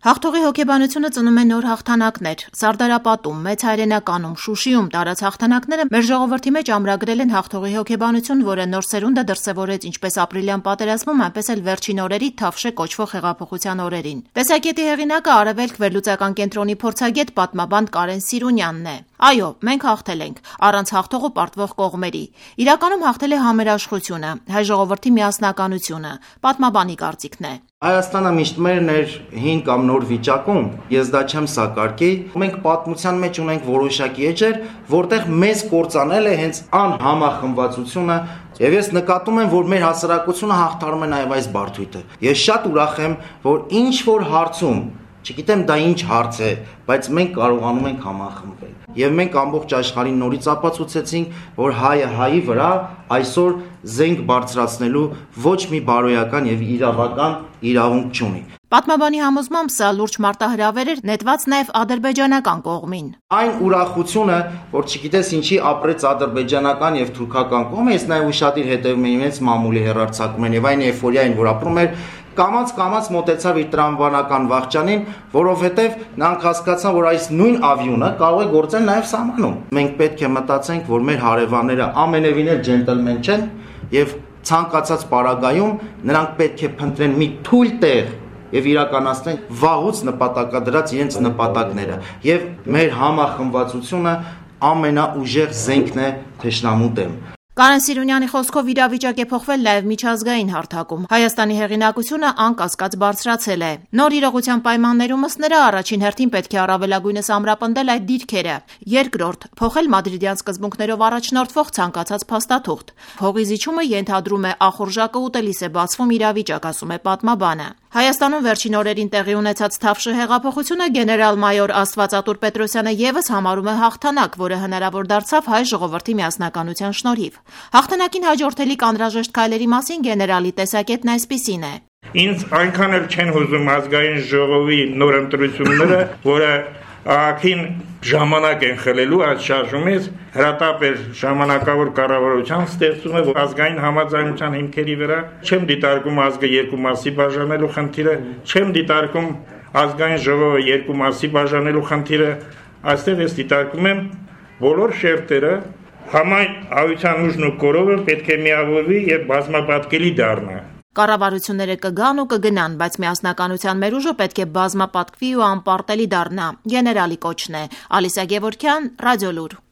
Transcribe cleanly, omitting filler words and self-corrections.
Հաղթողի հոգեբանությունը ծնում է նոր հաղթանակներ։ Սարդարապատում, Մեծ Հայրենականում, Շուշիում տարած հաղթանակները մեր ժողովրդի մեջ ամրագրել են հաղթողի հոգեբանություն, որը նոր սերունդը դրսևորեց ինչպես ապրիլյան պատերազմում, այնպես էլ վերջին օրերի Թավշե կոչվող հեղափոխության օրերին։ Տեսակետի հեղինակը Արևելք վերլուծական կենտրոնի փորձագետ պատմաբան Կարեն Սիրունյանն է։ Այո, մենք հաղթել ենք, առանց հաղթողը պարտվող կողմերի։ Իրականում հաղթել է համերաշխությունը, հայ ժողովրդի միասնականությունը, պատմաբանի կարծիքն է։ Հայաստանը միշտ մերն էր հին կամ նոր վիճակում, ես դա չեմ սակարկի։ Մենք պատմության մեջ ունենք որոշակի էջեր, որտեղ մեզ կործանել է հենց անհամախմբվածությունը, եւ ես նկատում եմ, որ մեր հասարակությունը հաղթարում է նաեւ այս բարդույթը։ Ես շատ ուրախ եմ, որ ինչ որ հարցում, չգիտեմ դա ինչ հարց է, բայց մենք կարողանում ենք համախմբվել։ Եվ մենք ամբողջ աշխարհին նորից ապացուցեցինք, որ հայը հայի վրա այսօր զենք բարձրացնելու ոչ մի բարոյական եւ իրավական իրավունք չունի։ Պատմաբանի համոզմամբ սա լուրջ մարտահրավեր էր նետված նաև ադրբեջանական կողմին։ Այն ուրախությունը, որ չգիտես ինչի ապրեց ադրբեջանական եւ թուրքական կողմը, ես նաև ուշադիր հետևում եմ իրենց մամուլի հեռարձակումներին եւ այն էйֆորիային, որ ապրում էր, կամաց մոտեցավ իր տրամաբանական վախճանին, որովհետեւ նրանք հասկացան, որ այս նույն ավիոնը կարող է գործել նաև սահմանում։ Մենք պետք է մտածենք, որ մեր հարևանները ամենևին էլ ջենտլմեն չեն եւ ցանկացած պարագայում նրանք պետք է փնտրեն մի թույլ տեղ եւ իրականացնեն վաղուց նպատակադրած իրենց նպատակները եւ մեր համախմբվածությունը ամենաուժեղ զենքն է թշնամու դեմ։ Կարեն Սիրունյանի խոսքով իրավիճակ է փոխվել նաև միջազգային հարթակում։ Հայաստանի հեղինակությունը անկասկած բարձրացել է։ Նոր իրողության պայմաններում ըստ նրա առաջին հերթին պետք է առավելագույնս ամրապնդել այդ դիրքերը։ Երկրորդ, փոխել մադրիդյան սկզբունքներով առաջնորդվող ցանկացած փաստաթուղթ։ Հողի զիջումը ենթադրում է ախորժակը ուտելիս է բացվում իրավիճակ, ասում է պատմաբանը։ Հայաստանում վերջին օրերին տեղի ունեցած Թավշե հեղափոխությունը գեներալ-մայոր Աստվածատուր Պետրոսյանը եւս համարում է հաղթանակ, որը հնարավոր դարձավ հայ ժողովրդի միասնականության շնորհիվ։ Հաղթանակին հաջորդելիք անհրաժեշտ քայլերի մասին գեներալի տեսակետն այսպիսին է։ Ինձ այնքան էլ չեն հուզում ազգային ժողովի նոր ընտրությունները, որը ակին ժամանակ են խլելու այս շարժումից, հրատապեր ժամանակավոր կառավարության ստեղծումը ազգային համաձայնության հիմքերի վրա, չեմ դիտարկում ազգը երկու մասի բաժանելու խնդիրը, չեմ դիտարկում ազգային ժողովը երկու մասի բաժանելու խնդիրը, այստեղ ես դիտարկում եմ բոլոր շերտերը համայնության ուժն ու կորովը պետք է միավորվի եւ բազմապատկելի դառնա։ Կառավարությունները կգան ու կգնան, բայց միասնականության մեր ուժը պետք է բազմապատկվի ու անպարտելի դառնա։ Գեներալի կոչն է։ Ալիսա Գևորգյան, Ռադիոլուր։